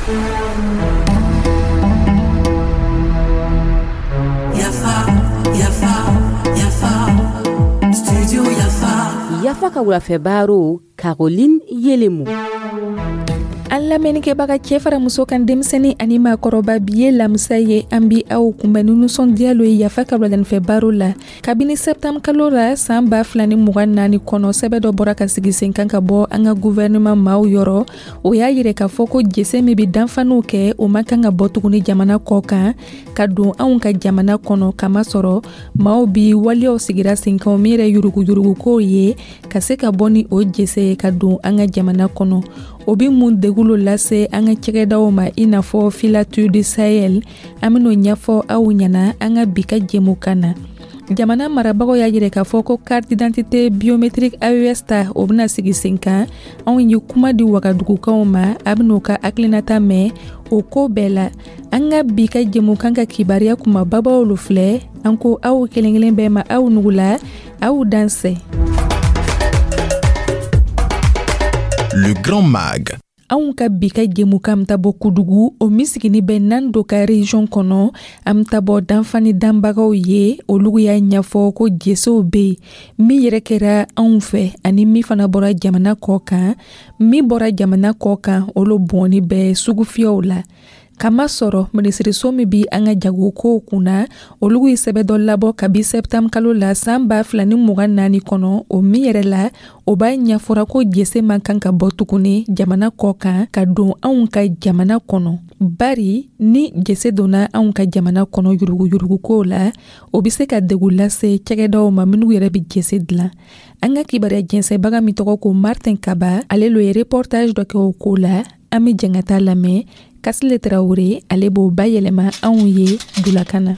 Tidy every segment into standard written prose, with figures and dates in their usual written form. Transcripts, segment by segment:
Yafa, Yafa, Yafa, Studio Yafa. Yafa ka wulafɛ baro, Caroline Yelemu. An lamɛnnikɛbaga, cɛɛ fara muso kan, denmisɛni ani maakɔrɔba, bi ye lamisa ye. An bi aw kunbɛn ni nusɔndiya lo ye Yafa ka wuladanifɛ baro la. Kabini sɛptanburu kalo la san 2024 kɔnɔ, sɛbɛ dɔ bɔra ka sigi sen kan ka bɔ an ka guvɛrɛnɛman maaw yɔrɔ. O y'a yirɛ k'a fɔ ko jese min be danfaniw kɛ, o man kan ka bɔ tuguni jamana kɔ kan ka don anw ka jamana kɔnɔ, kamasɔrɔ maaw bi waleyaw sigira sen kan min yɛrɛ yuruguyurugukow ye, ka se ka bɔ ni o jese ye ka don an ka jamana kɔnɔ. O be mun degun lo lase an ka cɛgɛdaw ma, i n'a fɔ Filature du Sahel? An ben'o ɲɛfɔ aw ɲɛna an ka bi ka jɛmukan na. Jamana marabagaw y'a yirɛ k'a fɔ ko carte d'identité biométrique AES ta, o bɛna sigi sen kan. Anw ye kuma di Wagadugukaw ma, a ben'o ka hakilinata mɛn o ko bɛɛ la. An ka bi ka jɛmukan ka kibariya kumababaw lo filɛ. An ko aw kelen kelen bɛɛ ma, aw nugula, aw dansɛ. Le Grand Mag. Anw ka bi ka jɛmukan bɛ taa bɔ Kudugu, o min sigini bɛ Nando ka région kɔnɔ. An bɛ taa bɔ danfani danbagaw ye. Olu y'a ɲɛfɔ ko jesew bɛ yen min yɛrɛ kɛra anw fɛ ani min fana bɔra jamana kɔ kan. Min bɔra jamana kɔ kan, olu bɔnni bɛ sugufiyɛw la, kamasɔrɔ minisiriso min bi an ka jagokow kunna, olu ye sɛbɛ dɔ labɔ kabi sɛptanburu kalo la san 2024 kɔnɔ, o min yɛrɛ la, o b'a ɲɛfɔra ko jese man kan ka bɔ tuguni jamana kɔ kan ka don anw ka jamana kɔnɔ, bari ni jese donna anw ka jamana kɔnɔ yuruguyurugukow la, o bɛ se ka degun lase cɛgɛdaw ma minnu yɛrɛ bɛ jese dilan. An ka kibaruya jɛnsɛnbaga min tɔgɔ ko Martin Kaba, ale lo ye reportage dɔ kɛ o ko la. An bɛ jɛn ka taa lamɛn. Kasile Tarawele, ale b'o bayɛlɛma anw ye dulakan na.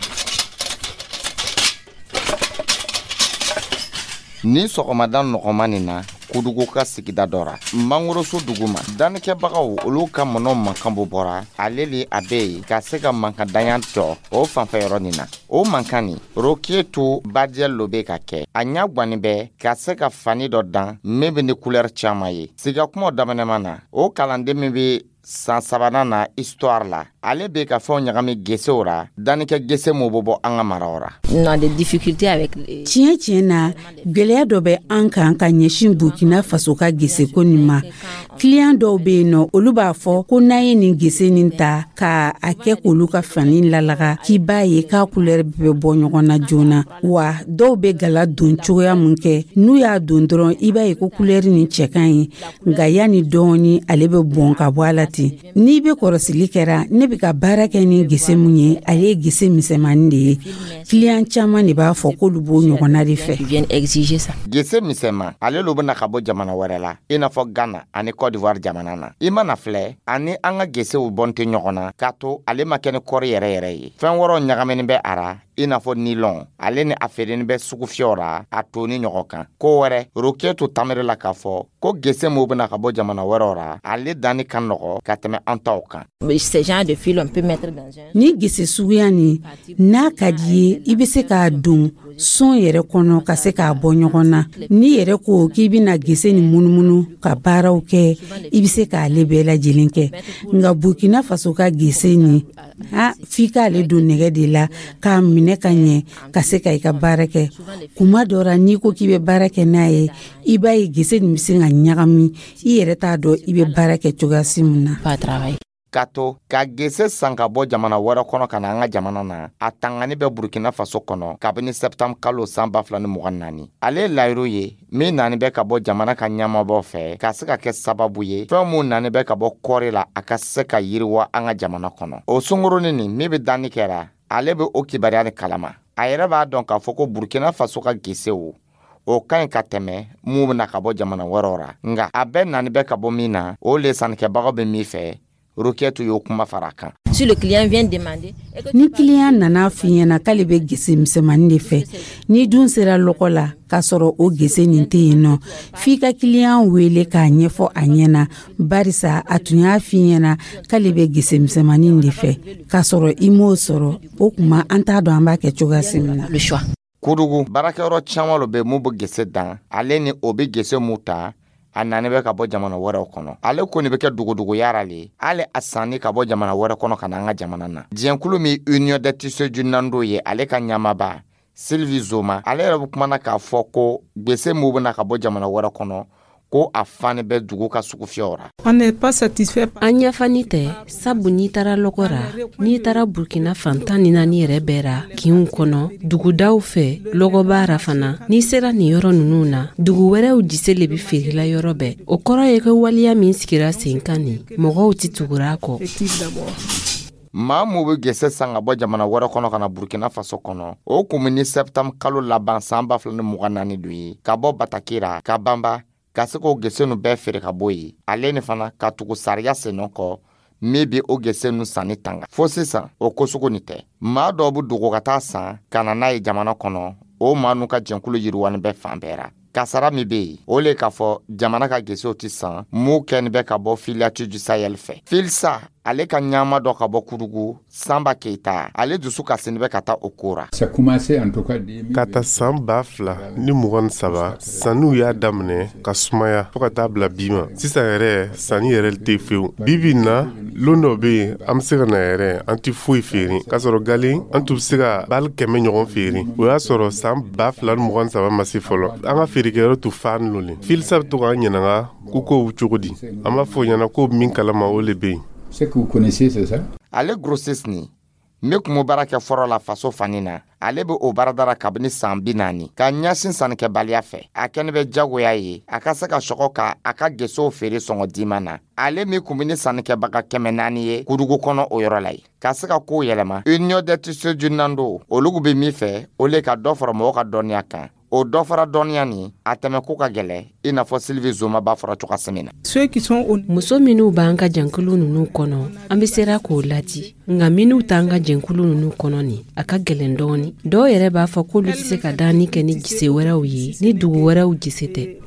Ni sɔgɔmada nɔgɔma nin na, Kudugu ka sigida dɔ ra, mangoroso duguma, dannikɛbagaw olu ka mɔnɔ mankan bo bɔra ale le. A bɛ yen ka se ka mankan danya jɔ o fanfɛ yɔrɔ nin na. O mankan nin, Rokiyetu Badiɛl lo bɛ ka kɛ a ɲa gwanin bɛ ka se ka fani dɔ dan min bɛ ni kulɛri caman ye. Siga kumaw daminɛman na, o kalanden min bɛ san sabanan na histoire la, ale bɛ ka fɛnw ɲagami gesew ra, dannikɛ gese m'o bɛ bɔ an ka maraw ra. Tiɲɛ tiɲɛ na, gwɛlɛya dɔ bɛ an kan ka ɲɛsin Burkina Faso ka geseko nin ma. Kiliyan dɔw bɛ yen nɔ, olu b'a fɔ ko n'an ye nin gese nin ta ka a kɛ k'olu ka fani lalaga, k'i b'a ye k'a kulɛri bɛ bɔ ɲɔgɔn na joona. Wa dɔw bɛ gala don cogoya mun kɛ, n'u y'a don dɔrɔn, i b'a ye ko kulɛri nin cɛ ka ɲi, nka yanni dɔɔni, ale bɛ bɔn ka bɔ a la ten. N'i bɛ kɔrɔsili kɛra, ne bɛ ka baara kɛ ni gese mun ye, ale ye gese misɛnmanin de ye. Kiliyan caman de b'a fɔ k'olu b'o ɲɔgɔnna de fɛ. Gese misɛnman, ale lo bɛna ka bɔ jamana wɛrɛ la, i n'a fɔ Ghana ani Côte d'Ivoire jamana na. I mana filɛ, ani an ka gesew bɔn tɛ ɲɔgɔn na, k'a to ale ma kɛ ni kɔri yɛrɛ yɛrɛ ye. Fɛn wɛrɛw ɲagaminen bɛ a ra, i n'a fɔ nilɔn. Ale ni a feereni bɛ sugufiyɛw ra a toni ɲɔgɔn kan. Ko wɛrɛ, Rokiyetu tamiri la k'a fɔ ko gese m'o bɛna ka bɔ jamana wɛrɛw ra, ale danni ka nɔgɔ ka tɛmɛ an taw kan. Ni gese suguya nin, n'a ka di ye, i bɛ se k'a don son yɛrɛ kɔnɔ ka se k'a bɔ ɲɔgɔn na. N'i yɛrɛ ko k'i bɛna gese nin munumunu ka baaraw kɛ, i bɛ se k'ale bɛɛ lajɛlen kɛ. Nka Burkina Faso ka gese nin, a f'i k'ale don nɛgɛ de la k'a minɛ ka ɲɛ ka se ka i ka baara kɛ. Kuma dɔ ra, n'i ko k'i bɛ baara kɛ n'a ye, i b'a ye gese nin bɛ se ka ɲagami, i yɛrɛ t'a dɔn i bɛ baara kɛ cogoya si mun na. Ka to ka gese san ka bɔ jamana wɛrɛ kɔnɔ ka na an ka jamana na, a tangani bɛ Burkina Faso kɔnɔ kabini sɛptanburu kalo san 2024. Ale ye layiru ye min nani bɛ ka bɔ jamana ka ɲɛmabɔ fɛ, ka se ka kɛ sababu ye fɛn mun nani bɛ ka bɔ kɔɔri la, a ka se ka yiriwa an ka jamana kɔnɔ. O sungurunin nin min bɛ danni kɛra, ale bɛ o kibaruya ni kalama. A yɛrɛ b'a dɔn k'a fɔ ko Burkina Faso ka gesew, o ka ɲi ka tɛmɛ mun bɛna ka bɔ jamana wɛrɛw ra, nka a bɛɛ nani bɛ ka bɔ min na, o le sannikɛbagaw bɛ min fɛ. Rokiyetu y'o kuma fara a kan. Ni kiliyan nana f'i ɲɛna k'ale bɛ gese misɛnmanin de fɛ, n'i dun sera lɔgɔ la k'a sɔrɔ o gese nin tɛ yen nɔ, f'i ka kiliyan wele k'a ɲɛfɔ a ɲɛna, barisa a tun y'a f'i ɲɛna k'ale bɛ gese misɛnmanin de fɛ, k'a sɔrɔ i m'o sɔrɔ. O kuma, an t'a dɔn an b'a kɛ cogoya si min na. Kudugu baarakɛyɔrɔ caman lo bɛ mun bɛ gese dan, ale ni o bɛ gese mun ta. A nani bɛ ka bɔ jamana wɛrɛw kɔnɔ. Ale ko nin bɛ kɛ dogodogoya ra le, hali a sanni ka bɔ jamana wɛrɛ kɔnɔ ka na an ka jamana na. Jɛnkulu min Union des tissus du Nando ye, ale ka ɲamaba Sylvie Zoma, ale yɛrɛ bɛ kumana k'a fɔ ko gese min bɛna ka bɔ jamana wɛrɛ kɔnɔ, ko a fani bɛ dugu ka sugufiyɛw ra. An ɲafani tɛ, sabu n'i taara lɔgɔ ra, n'i taara Burkina fan 14 yɛrɛ bɛɛ ra, kinw kɔnɔ, dugudaw fɛ, lɔgɔba ra fana, n'i sera nin yɔrɔ ninnu na, dugu wɛrɛw jise le be feerela yɔrɔ bɛɛ. O kɔrɔ ye ko waleya min sigira sen kan nin, mɔgɔw tɛ tugura a kɔ. Maa mun bɛ gese san ka bɔ jamana wɛrɛ kɔnɔ ka na Burkina Faso kɔnɔ, o kun bɛ ni septembre kalo laban san 2024 don ye, ka bɔ Batakira ka banba ka se k'o gese nu bɛɛ feere ka bɔ yen, ale ni fana ka tugu sariya sennɔ kɔ min bi o gese nu sanni tanga. Fo sisan, o ko sugu nin tɛ. Maa dɔw bɛ dogo ka taa san ka na n'a ye jamana kɔnɔ. O maa nu ka jɛnkulu yiriwani bɛ fan bɛɛ ra. Kasara min bɛ yen, o le k'a fɔ jamana ka gesew tɛ san mun kɛni bɛ ka bɔ Filiatu du Sahel fɛ. Filsa, ale ka ɲama dɔ ka bɔ Kudugu, Sanba Keyita, ale dusu kasini bɛ ka taa o ko ra. Ka ta san 2023, sanniw y'a daminɛ ka sumaya fɔɔ ka taa bila bi ma. Sisan yɛrɛ, sanni yɛrɛ tɛ fewu. Bi bi na, lon dɔ bɛ yen, an bɛ se ka na yɛrɛ, an tɛ foyi feere, k'a sɔrɔ galen an tun bɛ se ka bali 100 ɲɔgɔn feere. O y'a sɔrɔ san 2023 ma se fɔlɔ. An ka feerekɛyɔrɔ tun fa nɔ. Filisa bɛ to k'an ɲininka ko kow cogo di. An b'a fɔ o ɲɛna ko min kalama, o le bɛ yen. Ce que vous connaissez, c'est ça? Ale grossiste ni n kun bɛ baara kɛ fɔlɔ la faso fani na, ale bɛ o baarada la kabini san 40 ka ɲɛsin sannikɛbaliya fɛ. A kɛnɛ bɛ jagoya ye a ka se ka sɔgɔ ka a ka gesew feere sɔngɔ diman na. Ale min kun bɛ ni sannikɛbaga 400 ye Kudugu kɔnɔ, o yɔrɔ la ye ka se ka kow yɛlɛma. Union des tissus du Nando, olu bɛ min fɛ, o le ka dɔ fara mɔgɔw ka dɔnniya kan. O dɔ fara dɔnniya nin, a tɛmɛ ko ka gɛlɛ, i n'a fɔ Sylvie Zoma b'a fɔra cogoya min na. Muso minnu b'an ka jɛnkulu ninnu kɔnɔ, an bɛ sera k'o ladi, nka minnu t'an ka jɛnkulu ninnu kɔnɔ nin, a ka gɛlɛn dɔɔni. Dɔw yɛrɛ b'a fɔ k'olu tɛ se ka danni kɛ ni gise wɛrɛw ye, ni dugu wɛrɛw gise tɛ.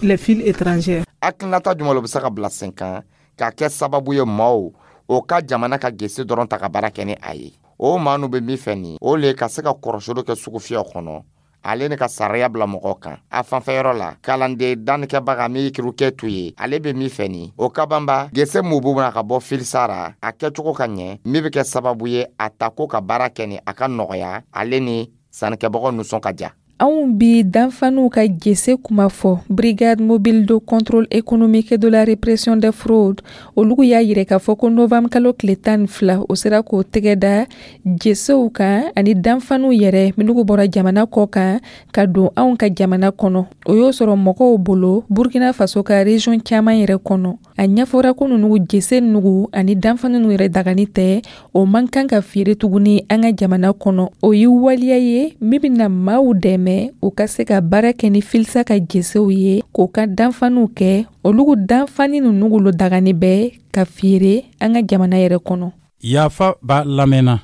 Hakilinata jumɛn bɛ se ka bila sen kan ka kɛ sababu ye maaw o ka jamana ka gese dɔrɔn ta ka baara kɛ ni a ye? O maa nu bɛ min fɛ nin, o le ka se ka kɔrɔsili kɛ sugufiyɛw kɔnɔ, ale ni ka sariya bila mɔgɔw kan. A fanfɛyɔrɔ la, kalanden dannikɛbaga min ye kirukɛ tu ye, ale bɛ min fɛ nin, o ka banba gese mun b'u ka bɔ filisara, a kɛcogo ka ɲɛ, min bɛ kɛ sababu ye a ta ko ka baara kɛ ni a ka nɔgɔya, ale ni sannikɛbagaw nisɔn ka diya. Anw bi danfaniw ka gese kuma fɔ. Brigade mobile de contrôle économique de la répression des fraudes, olu y'a yira k'a fɔ ko novembre kalo tile 12, o sera k'o tɛgɛ da gesew kan ani danfaniw yɛrɛ minnu bɔra jamana kɔ kan ka don anw ka jamana kɔnɔ. O y'o sɔrɔ mɔgɔw bolo Burkina Faso ka région caman yɛrɛ kɔnɔ. A ɲɛfɔra ko ninnu gese nugu ani danfani ninnu yɛrɛ dagani tɛ, o man kan ka feere tuguni an ka jamana kɔnɔ. O ye waleya ye min bɛna maaw dɛmɛ u ka se ka baara kɛ ni filisa ka gesew ye, k'o ka danfaniw kɛ. Olu danfani ninnu lo dagani bɛ ka feere an ka jamana yɛrɛ kɔnɔ. Yafa b'a lamɛnna.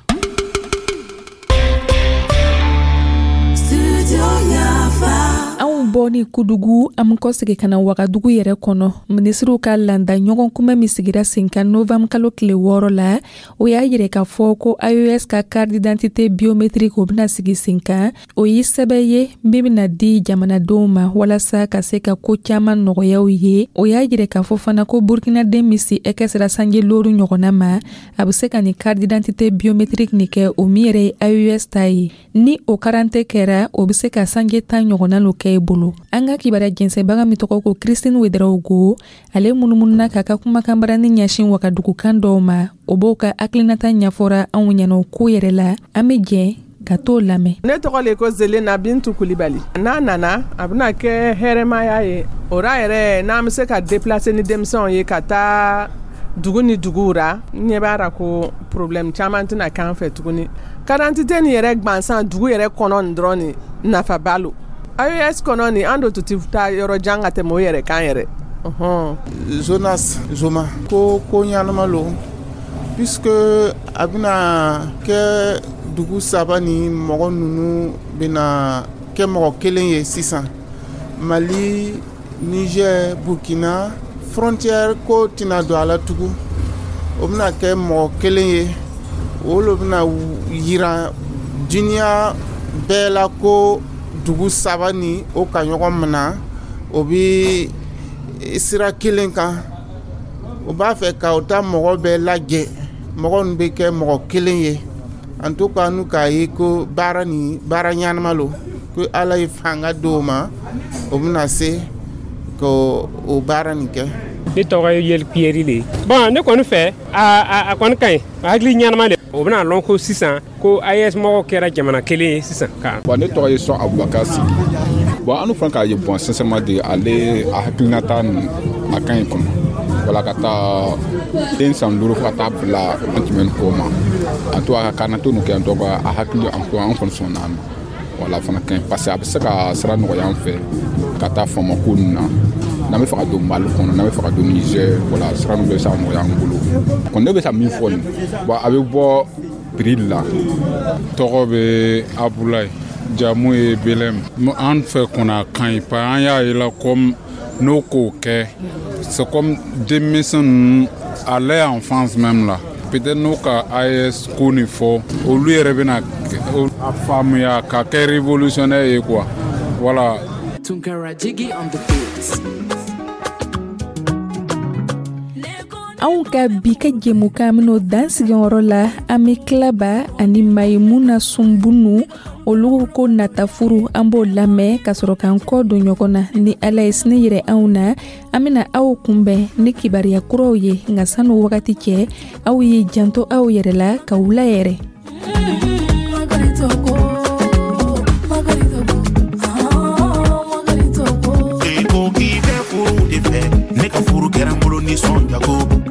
Anw bɔ ni Kudugu, an bɛ kɔsegin ka na Wagadugu yɛrɛ kɔnɔ. Minisiriw ka landa ɲɔgɔn kunbɛn min sigira sen kan novembre kalo tile 6 la, o y'a yira k'a fɔ ko AES ka carte d'identité biométrique, o bɛna sigi sen kan. O ye sɛbɛn ye min bɛna di jamanadenw ma walasa ka se ka ko caman nɔgɔya u ye. O y'a yira k'a fɔ fana ko Burkinaden min si ɛkɛ sera sanji 5 ɲɔgɔnna ma, a bɛ se ka nin carte d'identité biométrique nin kɛ, o min yɛrɛ ye AES ta ye. Ni o karante kɛra, o bɛ se ka sanji 10 ɲɔgɔnna lo kɛ i bolo. An ka kibaruya jɛnsɛnbaga min tɔgɔ ko Christine Ouedraogo, ale munumununa k'a ka kumakanbarani ɲɛsin Wagadugukan dɔw ma. O b'o ka hakilinata ɲɛfɔra anw ɲɛna o ko yɛrɛ la. An bɛ jɛ ka t'o lamɛn. Ne tɔgɔ le ko Zelena Bintu Kulibali. N'a nana, a bɛna kɛ hɛrɛmaya ye. O ra yɛrɛ, n'an bɛ se ka déplacer ni denmisɛnw ye ka taa dugu ni duguw ra, n ɲɛ b'a ra ko problème caman tɛna k'an fɛ tuguni. Carte d'identité nin yɛrɛ gansan dugu yɛrɛ kɔnɔ nin dɔrɔn nin nafaba lo. AES kɔnɔ nin, an do tun tɛ taa yɔrɔ jan ka tɛmɛ o yɛrɛ kan yɛrɛ. Jonas Zoma ko ko ɲanama lo, puisque a bɛna kɛ dugu saba ni mɔgɔ ninnu bɛna kɛ mɔgɔ kelen ye sisan. Mali, Niger, Burkina, frontière ko tɛna don a la tugun. O bɛna kɛ mɔgɔ kelen ye. O lo bɛna yira duniya bɛɛ la ko dugu saba ni o ka ɲɔgɔn minɛ, o bɛ Sira kelen kan, u b'a fɛ ka u ta mɔgɔ bɛɛ lajɛ, mɔgɔ ninnu bɛ kɛ mɔgɔ kelen ye. En tout cas, n'u k'a ye ko baara nin, baara ɲanama lo, ko Ala ye fanga d'o ma, o bɛna se k'o o baara nin kɛ. Ne tɔgɔ ye Yeli Piyɛri le ye. Bon, ne kɔni fɛ, a kɔni ka ɲi, hakili ɲɛnama de. O bɛna lɔn ko sisan ko AES mɔgɔw kɛra jamana kelen ye sisan ka. Bon, ne tɔgɔ ye Sɔn Abubakar Sidi. Bon, an fana k'a ye, bon, sincèrement de, ale a hakilinata nin, a ka ɲi kɔnɔ. Wala ka taa den san 5 fo ka taa bila an tɛmɛ kɔ ma, en tout cas, ka karnatu nin kɛ, en tout cas, a hakili, en tout cas, an kɔni sɔnna a ma. Wala, fana ka ɲi, parce que a bɛ se ka sira nɔgɔya an fɛ ka taa famako ninnu na, n'an bɛ fɛ ka don Mali kɔnɔ, n'an bɛ fɛ ka don Niger. Wala, sira ninnu bɛ se ka nɔgɔya an bolo kɔni. Ne bɛ se ka min fɔ nin, bon, a bɛ bɔ prix la. Tɔgɔ bɛ Abulayi, jamu ye Belɛm. An fɛ kɔni, a ka ɲi, parce an y'a ye la comme n'o k'o kɛ, c'est comme denmisɛn ninnu à leur enfance même là, peut-être n'o ka AES ko nin fɔ, olu yɛrɛ bɛna a faamuya ka kɛ révolutionnaire ye quoi, voilà. Tunkara Jiggy on the beats. Anw ka bi ka jɛmukan min'o dan sigiyɔrɔ la. An be Kilaba ani Mayimuna Sunbunu, olu ko Natafuru, an b'o lamɛn ka sɔrɔ k'an kɔ don ɲɔgɔn na. Ni Ala ye sini yɛrɛ anw na, an bena aw kunbɛn ni kibariya kuraw ye. Nka sanu wagati cɛ, aw ye janto aw yɛrɛ la, ka wula yɛrɛ. Ko k'i bɛ furu de fɛ, ne ka furu kɛra n bolo nisɔnjago.